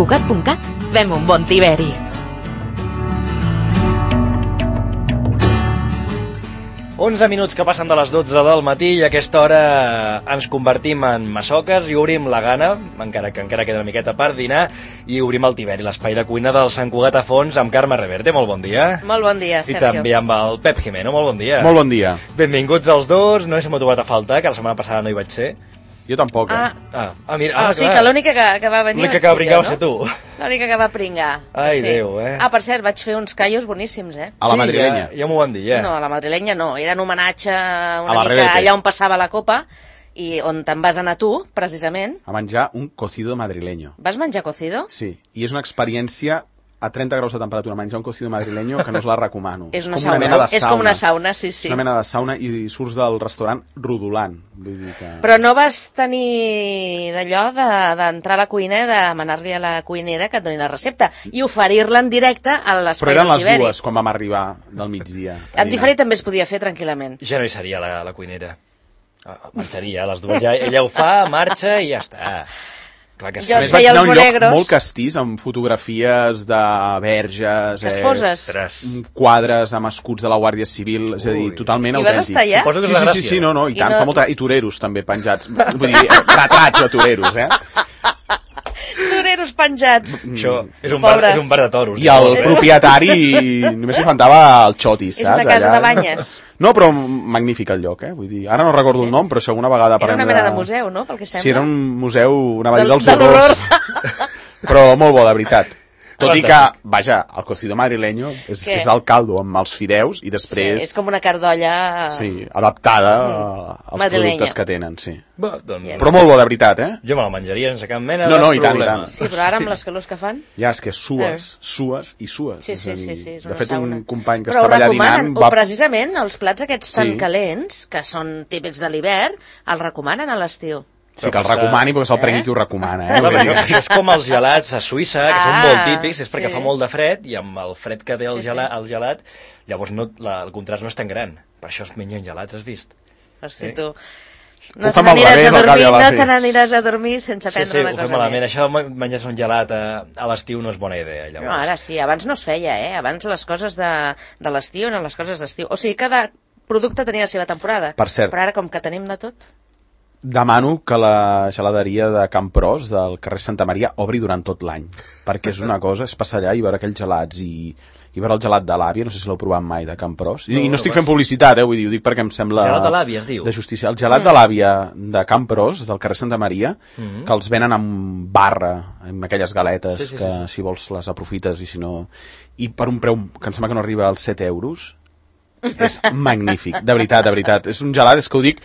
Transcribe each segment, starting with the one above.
Cugat.cat fem un bon tiberi. Onze minuts que passen de les 12 del matí i a aquesta hora ens convertim en massoques i obrim la gana, encara queda una miqueta per dinar, i obrim el tiberi, l'espai de cuina del Sant Cugat a Fons amb Carme Reverte. Molt bon dia. Molt bon dia, Sergio. I també amb el Pep Jimeno. Molt bon dia. Molt bon dia. Benvinguts els dos. No m'ha trobat a faltar, que la setmana passada no hi vaig ser. Jo tampoc, Mira, sí, que l'única que va venir... L'única que va pringar va ser tu. L'única que va pringar. Ai, sí. Déu, per cert, vaig fer uns callos boníssims, A la madrilenya. Ja m'ho van dir, No, a la madrilenya no. Era en homenatge una mica allà on passava la copa i on te'n vas anar tu, precisament. A menjar un cocido madrileño. Vas menjar cocido? Sí, i és una experiència a 30 graus de temperatura, menjar un cocido madrileño que no us la recomano. És una sauna. És com una sauna, sí. És una mena de sauna i surts del restaurant rodolant. Vull dir que... Però no vas tenir d'allò d'entrar a la cuina i demanar-li a la cuinera que et doni la recepta i oferir-la en directe a l'espai del tiberi. Però eren les dues quan vam arribar del migdia. En diferit també es podia fer tranquil·lament. Ja no hi seria la cuinera. Marxaria, les dues. Ella ho fa, marxa i ja està. Jo et feia els monegros. Molt castís, amb fotografies de verges, quadres amb escuts de la Guàrdia Civil, és a dir, totalment autèntic. I vas estar allà? Sí, i tant, fa molta... I toreros també penjats, vull dir, retrats de toreros, Toreros penjats. Això és un bar de toros. I el propietari només li faltava el xotis, saps? És una casa de banyes. No, però magnífic el lloc, Vull dir, ara no recordo el nom, però si alguna vegada... Era una mena de museu, no?, pel que sembla. Sí, era un museu, anava a dir dels horrors. Però molt bo, de veritat. Tot i que, vaja, el cocido madrileño és el caldo amb els fideus i després... Sí, és com una cardolla... Sí, adaptada als productes que tenen, sí. Però molt bo, de veritat, Jo me la menjaria sense cap mena de problema. No, i tant. Sí, però ara amb les calors que fan... Ja, és que sues i sues. Sí, és una de fet, sauna. Un company que estava allà dinant... Però precisament els plats aquests tan calents, que són típics de l'hivern, els recomanen a l'estiu. Sí, que el recomani, perquè se'l prengui qui ho recomana. Això és com els gelats a Suïssa, que són molt típics, és perquè fa molt de fred, i amb el fred que té el gelat, llavors el contrast no és tan gran. Per això es mengen gelats, has vist? Hosti, tu... No te n'aniràs a dormir sense prendre una cosa més. Sí, ho fem malament. Això de menjar un gelat a l'estiu no és bona idea, llavors. No, ara sí, abans no es feia, Abans les coses de l'estiu eren les coses d'estiu. O sigui, cada producte tenia la seva temporada. Per cert. Però ara, com que tenim de tot... Demano que la geladeria de Campros, del carrer Santa Maria, obri durant tot l'any, perquè és una cosa, és passar allà i veure aquells gelats i veure el gelat de l'àvia, no sé si l'heu provat mai, de Campros. I no estic fent publicitat, vull dir, ho dic perquè em sembla... Gelat de l'àvia, es diu? De justícia. El gelat de l'àvia de Campros, del carrer Santa Maria, que els venen amb barra, amb aquelles galetes, que si vols les aprofites i si no... I per un preu que em sembla que no arriba als 7 euros, és magnífic, de veritat. És un gelat, és que ho dic...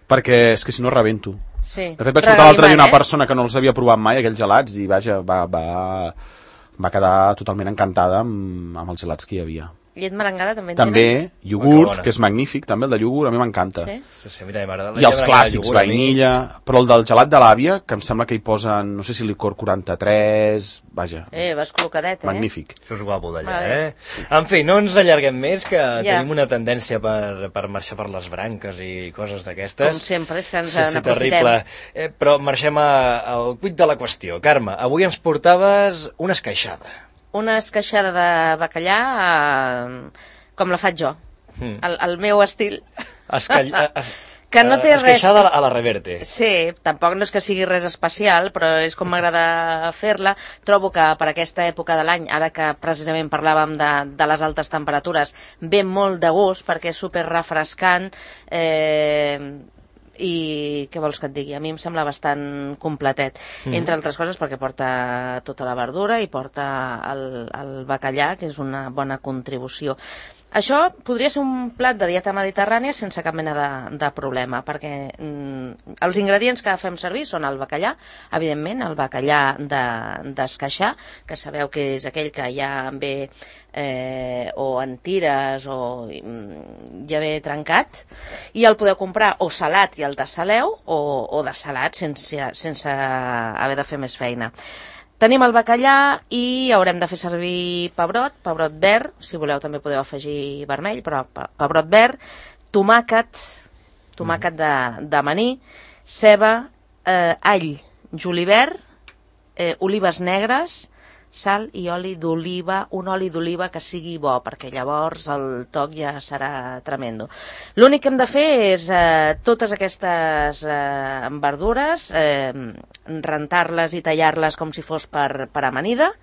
perquè és que si no rebento. Sí. De fet, vaig portar l'altre dia una persona que no els havia provat mai, aquells gelats, i vaja, va quedar totalment encantada amb els gelats que hi havia. Llet merengada també en també, iogurt, que és magnífic, també el de iogurt, a mi m'encanta. Sí, mira, i els clàssics, vainilla, però el del gelat de l'àvia, que em sembla que hi posen, no sé si licor 43, vaja. Vas col·locadet, magnífic. Això és guapo d'allà, En fi, no ens allarguem més, que tenim una tendència per marxar per les branques i coses d'aquestes. Com sempre, és que ens n'aprofitem. Terrible. Però marxem al quid de la qüestió. Carme, avui ens portaves una esqueixada. Una esqueixada de bacallà com la faig jo, el meu estil. Que no té res... Esqueixada a la Reverte. Sí, tampoc no és que sigui res especial, però és com m'agrada fer-la. Trobo que per aquesta època de l'any, ara que precisament parlàvem de les altes temperatures, ve molt de gust perquè és super refrescant, i què vols que et digui? A mi em sembla bastant completet, entre altres coses perquè porta tota la verdura i porta el bacallà, que és una bona contribució. Això podria ser un plat de dieta mediterrània sense cap mena de problema, perquè els ingredients que fem servir són el bacallà, evidentment, el bacallà d'esqueixar, que sabeu que és aquell que ja ve o en tires o ja ve trencat, i el podeu comprar o salat i el dessaleu, o desalat sense haver de fer més feina. Tenim el bacallà i haurem de fer servir pebrot verd, si voleu també podeu afegir vermell, però pebrot verd, tomàquet de maní, ceba, all, julivert olives negres, sal i oli d'oliva, un oli d'oliva que sigui bo, perquè llavors el toc ja serà tremendo. L'únic que hem de fer és totes aquestes verdures, rentar-les i tallar-les com si fos per amanida.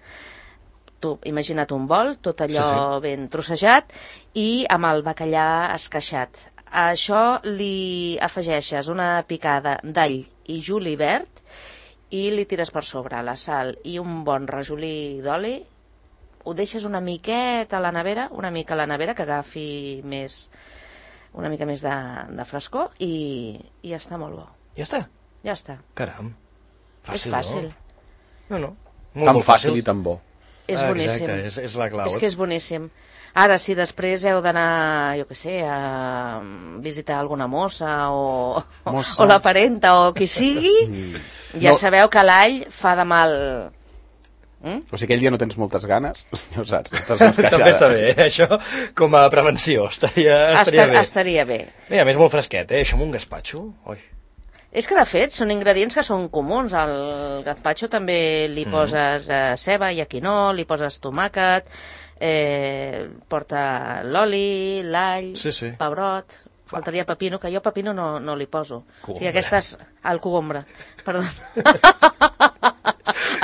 Tu imagina't un bol, tot allò ben trossejat, i amb el bacallà esqueixat. A això li afegeixes una picada d'all i julivert i li tires per sobre la sal i un bon rajolí d'oli, ho deixes una miqueta a la nevera, que agafi una mica més de frescor i ja està molt bo. Ja està? Ja està. Caram. Fàcil, és fàcil. No. Tan fàcil i tan bo. És boníssim. Exacte, és la clau. És que és boníssim. Ara, si després heu d'anar, jo què sé, a visitar alguna mossa o la parenta o qui sigui, ja sabeu que l'all fa de mal. O sigui, aquell dia no tens moltes ganes, no saps, estàs esqueixada. També està bé, això com a prevenció, estaria bé. Estaria bé. Mira, a més molt fresquet, això amb un gazpacho, oi. És que, de fet, són ingredients que són comuns. Al gazpacho també li poses ceba i quinó, li poses tomàquet, porta l'oli, l'all, pebrot, faltaria pepino, que jo pepino no li poso. O sigui, aquestes... al cogombre, perdó.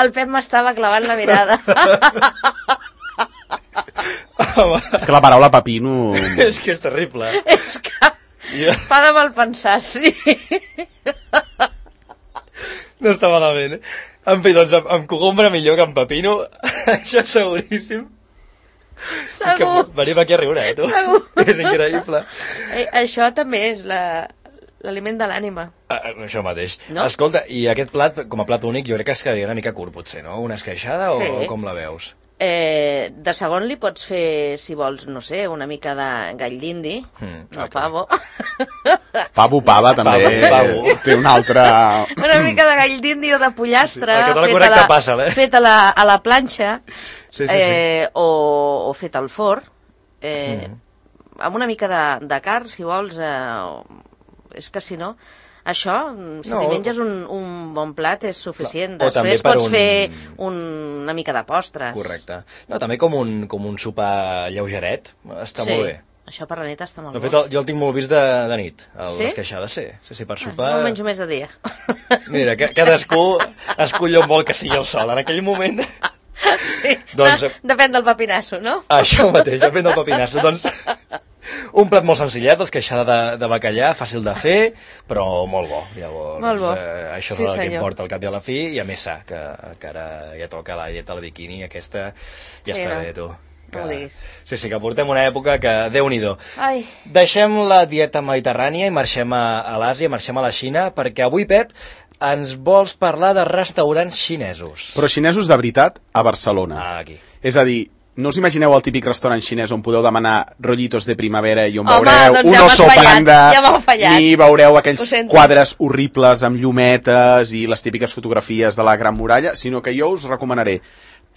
El Pep m'estava clavant la mirada. És que la paraula pepino... És que és terrible. És que... fa de mal pensar, sí. No està malament, En fi, doncs amb cogombre millor que amb pepino, això és seguríssim. Segur. Venim aquí a riure, tu. Segur. És increïble. Això també és l'aliment de l'ànima. Això mateix. No? Escolta, i aquest plat, com a plat únic, jo crec que es quedaria una mica curt, potser, no? Una esqueixada o com la veus? De segon li pots fer, si vols, no sé, una mica de gall d'indi, no pavo. Pavo, també. Pavo. Té una altra... Una mica de gall d'indi o de pollastre, fet a la planxa, o fet al forn, amb una mica de carn, si vols, és que si no... Això, si t'hi menges un bon plat és suficient. Després pots fer una mica de postres. Correcte. No, també com un sopar lleugeret, està molt bé. Això per la nit està molt bo. De fet, jo el tinc molt vist de nit, l'esqueixada, sí, per sopar... No menjo més de dia. Mira, cadascú escull on vol que sigui el sol. En aquell moment... Sí, depèn del papinasso, no? Això mateix, depèn del papinasso. Doncs... un plat molt senzillet, l'esqueixada de bacallà, fàcil de fer, però molt bo. Llavors, molt bo. Això és el que importa al cap i a la fi, i a més sa, que ara ja toca la dieta al biquini, aquesta ja està bé, tu. No ho diguis. Sí, que portem una època que, Déu-n'hi-do. Ai. Deixem la dieta mediterrània i marxem a l'Àsia, marxem a la Xina, perquè avui, Pep, ens vols parlar de restaurants xinesos. Però xinesos de veritat a Barcelona. Aquí. És a dir, no us imagineu el típic restaurant xinès on podeu demanar rollitos de primavera i on veureu un oso panda i veureu aquells quadres horribles amb llumetes i les típiques fotografies de la Gran Muralla, sinó que jo us recomanaré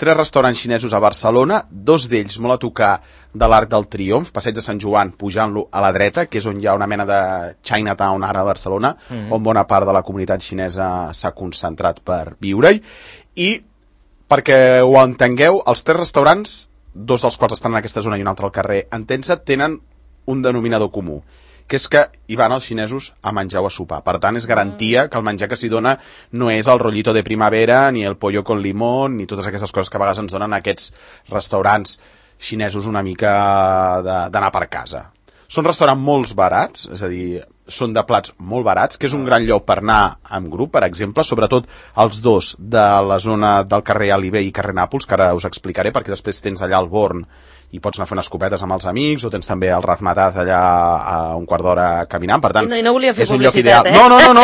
3 restaurants xinesos a Barcelona, 2 d'ells molt a tocar de l'Arc del Triomf, Passeig de Sant Joan, pujant-lo a la dreta, que és on hi ha una mena de Chinatown ara a Barcelona, on bona part de la comunitat xinesa s'ha concentrat per viure-hi. I, perquè ho entengueu, els 3 restaurants, 2 dels quals estan en aquesta zona i un altre al carrer Entença, tenen un denominador comú, que és que hi van els xinesos a menjar o a sopar. Per tant, és garantia que el menjar que s'hi dona no és el rollito de primavera, ni el pollo con limón, ni totes aquestes coses que a vegades ens donen aquests restaurants xinesos una mica d'anar per casa. Són restaurants molt barats, és a dir, són de plats molt barats, que és un gran lloc per anar en grup, per exemple, sobretot els 2 de la zona del carrer Aliber i carrer Nàpols, que ara us explicaré, perquè després tens allà el Born i pots anar fent escopetes amb els amics, o tens també el Razmataz allà a un quart d'hora caminant, per tant, no volia fer és un lloc publicitat, ideal. No,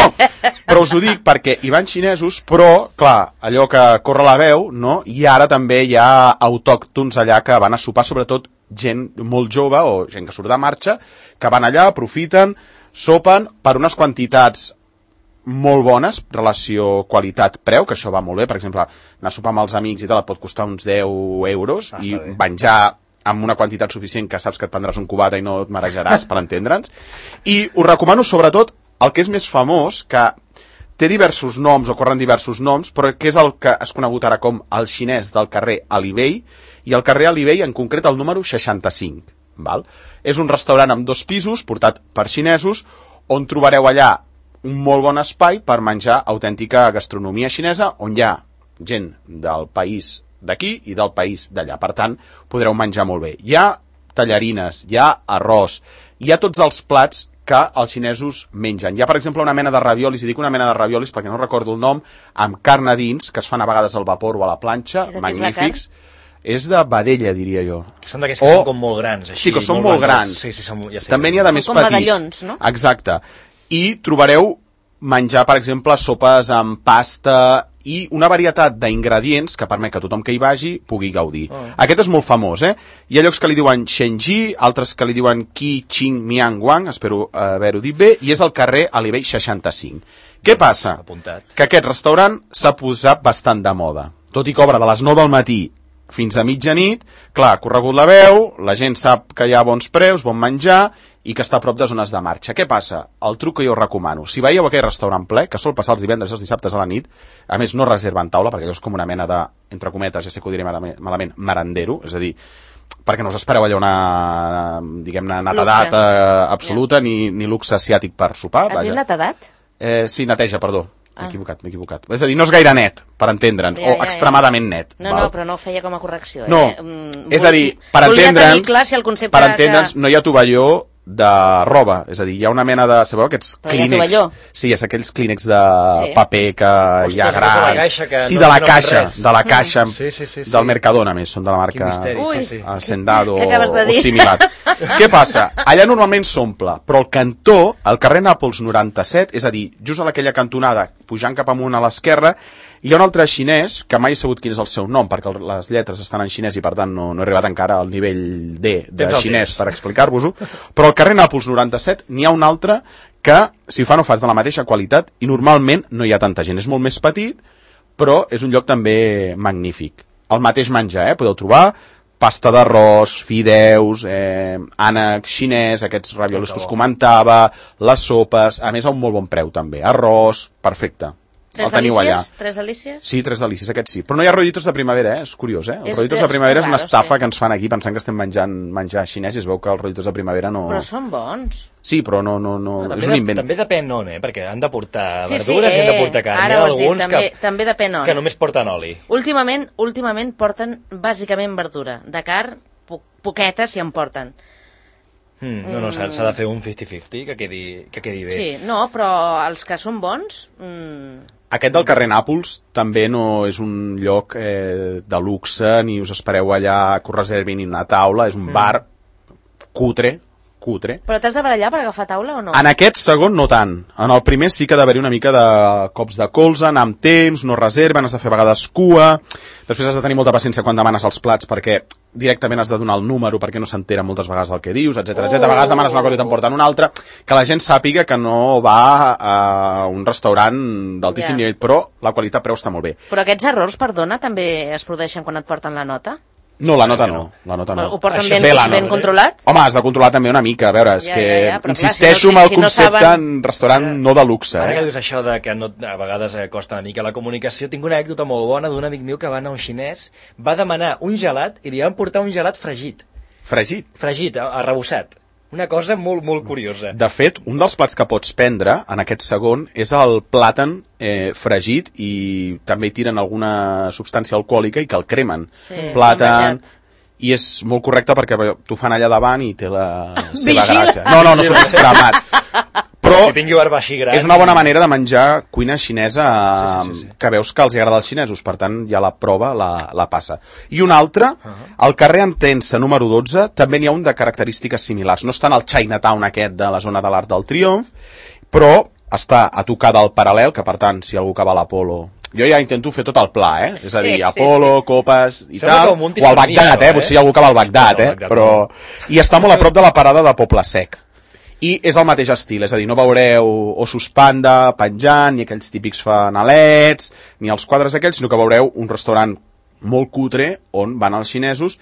però us ho dic perquè hi van xinesos, però, clar, allò que corre la veu, no? I ara també hi ha autòctons allà que van a sopar, sobretot gent molt jove o gent que surt de marxa, que van allà, aprofiten, sopen per unes quantitats molt bones, relació qualitat-preu, que això va molt bé. Per exemple, anar a sopar amb els amics i tal et pot costar uns 10 euros i menjar amb una quantitat suficient que saps que et prendràs un cubata i no et marejaràs, per entendre'ns. I us recomano sobretot el que és més famós, que té diversos noms, o corren diversos noms, però que és el que es conegut ara com el xinès del carrer Alibey, i el carrer Alibey en concret el número 65. Val? És un restaurant amb 2 pisos, portat per xinesos, on trobareu allà un molt bon espai per menjar autèntica gastronomia xinesa, on hi ha gent del país d'aquí i del país d'allà. Per tant, podreu menjar molt bé. Hi ha tallarines, hi ha arròs, hi ha tots els plats que els xinesos mengen. Hi ha, per exemple, una mena de raviolis, i dic una mena de raviolis perquè no recordo el nom, amb carn a dins, que es fan a vegades al vapor o a la planxa, magnífics. És de vedella, diria jo. Són d'aquests que són com molt grans. Així, sí, que són molt grans. Sí, ja sé. També n'hi ha de més petits. Com medallons, no? Exacte. I trobareu menjar, per exemple, sopes amb pasta i una varietat d'ingredients que permet que tothom que hi vagi pugui gaudir. Aquest és molt famós, eh? Hi ha llocs que li diuen Shenji, altres que li diuen Qi Qing Miang Wang, espero haver-ho dit bé, i és el carrer Alibey 65. Què passa? Que aquest restaurant s'ha posat bastant de moda. Tot i que obre de les 9 del matí fins a mitjanit, clar, ha corregut la veu, la gent sap que hi ha bons preus, bon menjar, i que està a prop de zones de marxa. Què passa? El truc que jo us recomano, si veieu aquell restaurant ple, que sol passar els divendres i els dissabtes a la nit, a més no reserven taula, perquè allò és com una mena de, entre cometes, ja sé que ho diré malament, merendero, és a dir, perquè no us espereu allà una, diguem-ne, netedat absoluta, ni luxe asiàtic per sopar. Has dit netedat? Sí, neteja, perdó. M'he equivocat. És a dir, no és gaire net, per entendre'ns, o extremadament net. No, però no ho feia com a correcció. No, és a dir, per entendre'ns, no hi ha tovalló de roba, és a dir, hi ha una mena de, sabeu, aquests clínex, sí, és aquells clínex de paper que hi ha gran, sí, de la caixa del Mercadona, més, són de la marca Hacendado o similar. Què passa? Allà normalment s'omple, però el cantó, al carrer Nàpols 97, és a dir, just a aquella cantonada, pujant cap amunt a l'esquerra, hi ha un altre xinès, que mai he sabut quin és el seu nom, perquè les lletres estan en xinès i per tant no he arribat encara al nivell D de xinès per explicar-vos-ho, però al carrer Nàpols 97 n'hi ha un altre que, si ho fa no fas de la mateixa qualitat, i normalment no hi ha tanta gent. És molt més petit, però és un lloc també magnífic. El mateix menjar, podeu trobar pasta d'arròs, fideus, ànec xinès, aquests raviolis que us comentava, les sopes, a més a un molt bon preu també, arròs, perfecte. Tres delícies? Tres delícies? Sí, tres delícies, aquest sí. Però no hi ha rollitos de primavera, és curiós, eh? Els rollitos de primavera és una estafa que ens fan aquí pensant que estem menjant menjar xinès i es veu que els rollitos de primavera no... Però són bons. Sí, però no és un invent. També depèn on, perquè han de portar verdures i han de portar carn. Ara ho has dit, també depèn on. Que només porten oli. Últimament porten bàsicament verdura. De carn, poqueta si en porten. No, s'ha de fer un 50-50, que quedi bé. Sí, no, però els que són bons... Aquest del carrer Nàpols també no és un lloc de luxe, ni us espereu allà que us reservin una taula, és un bar cutre. Però t'has de barallar per agafar taula o no? En aquest segon no tant. En el primer sí que ha d'haver-hi una mica de cops de colze, anar amb temps, no reserven, has de fer a vegades cua, després has de tenir molta paciència quan demanes els plats perquè directament has de donar el número perquè no s'entera moltes vegades del que dius, etc. A vegades demanes una cosa i t'emporten una altra, que la gent sàpiga que no va a un restaurant d'altíssim nivell, però la qualitat-preu està molt bé. Però aquests errors, perdona, també es produeixen quan et porten la nota? No, la nota no. Ho porten ben controlat? Home, has de controlar també una mica, a veure, és que insisteixo en el concepte en restaurant no de luxe. Ara que dius això de que a vegades costa una mica la comunicació, tinc una anècdota molt bona d'un amic meu que va anar a un xinès, va demanar un gelat i li van portar un gelat fregit. Fregit? Fregit, arrebossat. Una cosa molt, molt curiosa. De fet, un dels plats que pots prendre, en aquest segon, és el plàtan fregit i també tiren alguna substància alcohòlica i que el cremen. Sí, plàtan... I és molt correcte perquè t'ho fan allà davant i té la seva gràcia. No s'ho cremat. Però és una bona manera de menjar cuina xinesa que veus que els agrada als xinesos, per tant ja la prova la passa. I un altre, al carrer Entença número 12, també n'hi ha un de característiques similars. No està en el Chinatown aquest de la zona de l'Arc del Triomf, però està a tocar del Paral·lel, que per tant, si algú que va a l'Apolo... Jo ja intento fer tot el pla, és a dir, Apolo, copes i tal, o al Bagdad, potser hi ha algú que va al Bagdad, però... I està molt a prop de la parada de Poble Sec. I és el mateix estil, és a dir, no veureu ossos panda penjant, ni aquells típics fanalets, ni els quadres aquells, sinó que veureu un restaurant molt cutre on van els xinesos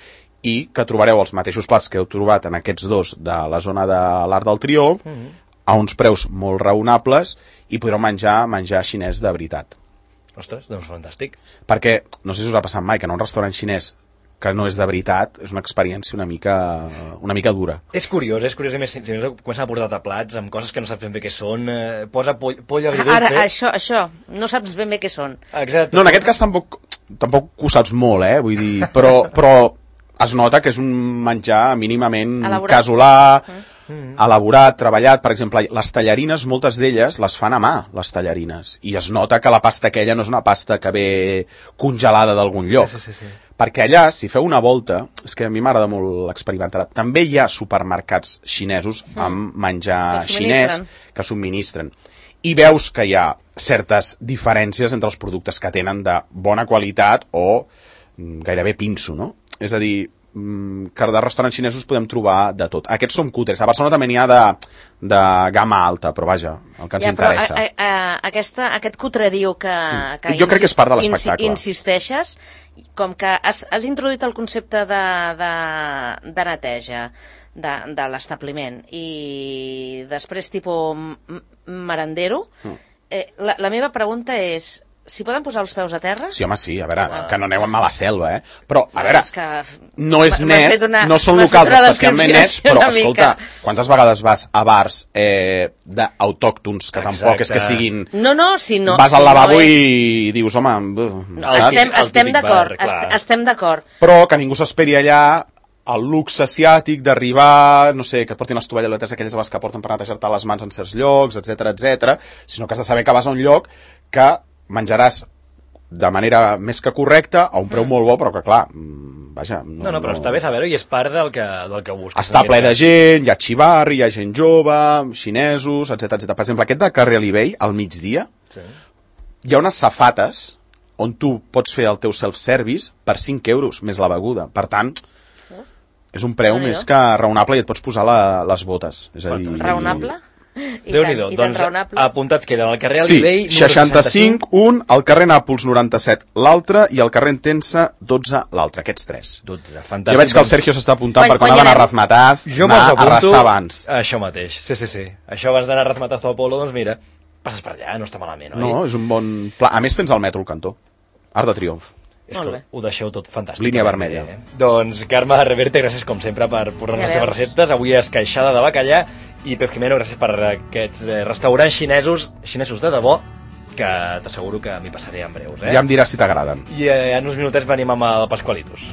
i que trobareu els mateixos plats que heu trobat en aquests dos de la zona de l'Arc del Triomf, a uns preus molt raonables i podreu menjar xinès de veritat. Ostres, doncs fantàstic. Perquè, no sé si us ha passat mai, que en un restaurant xinès que no és de veritat, és una experiència una mica dura. És curiós, a més, si comencen a portar plats amb coses que no saps ben bé què són, posa poll agridulce... Ara, això, no saps ben bé què són. Exacte. No, en aquest cas tampoc ho saps molt, vull dir, però es nota que és un menjar mínimament elaborat. casolà, elaborat, treballat. Per exemple, les tallarines, moltes d'elles les fan a mà, les tallarines, i es nota que la pasta aquella no és una pasta que ve congelada d'algun lloc. Sí. Perquè allà, si feu una volta, és que a mi m'agrada molt experimentar, també hi ha supermercats xinesos amb menjar xinès que subministren. I veus que hi ha certes diferències entre els productes que tenen de bona qualitat o gairebé pinso, no? És a dir, que de restaurants xinesos podem trobar de tot. Aquests són cutres. A Barcelona també n'hi ha de gamma alta, però vaja, el que ens interessa. Aquest cutrerio que jo crec que és part de l'espectacle. Insisteixes, com que has introduït el concepte de neteja de l'establiment i després tipus merendero, la meva pregunta és: s'hi poden posar els peus a terra? Sí, home, sí, a veure, que no aneu a la selva, Però, a veure, no és net, no són locals especialment nets, però, escolta, quantes vegades vas a bars d'autòctons, que tampoc és que siguin... No, si no... Vas al lavabo i dius, home... Estem d'acord. Però que ningú s'esperi allà el luxe asiàtic d'arribar, no sé, que et portin les tovalloletes aquelles a les que porten per netejar-te les mans en certs llocs, etc, sinó que has de saber que vas a un lloc que menjaràs de manera més que correcta, a un preu molt bo, però que clar, vaja... No, però està bé saber-ho i és part del que busques. Està ple de gent, hi ha xivarri, hi ha gent jove, xinesos, etc. Per exemple, aquest de Carrer Alibell, al migdia, hi ha unes safates on tu pots fer el teu self-service per 5 euros, més la beguda. Per tant, és un preu més que raonable i et pots posar les botes. És a dir... Raonable? Déu-n'hi-do, doncs apuntats queden al carrer Alibell... Sí, 65, un, al carrer Nàpols 97, l'altre, i al carrer Entença 12, l'altre, aquests 3. 12, fantàstic. Jo veig que el Sergio s'està apuntant per quan ha d'anar a Razmataz, anar a arrasar abans. Això mateix, sí. Això abans d'anar a Razmataz o Apolo, doncs mira, passes per allà, no està malament, oi? No, és un bon pla. A més tens el metro al cantó, Arc de Triomf. És que ho deixeu tot fantàstic. Línia vermella. Doncs Carme Reverte, gràcies com sempre per posar les teves receptes. Avui esqueixada de bacallà. I Pep Jimeno, gràcies per aquests restaurants xinesos de debò, que t'asseguro que m'hi passaré en breus. Ja em diràs si t'agraden. I en uns minutets venim amb el Pascualitos.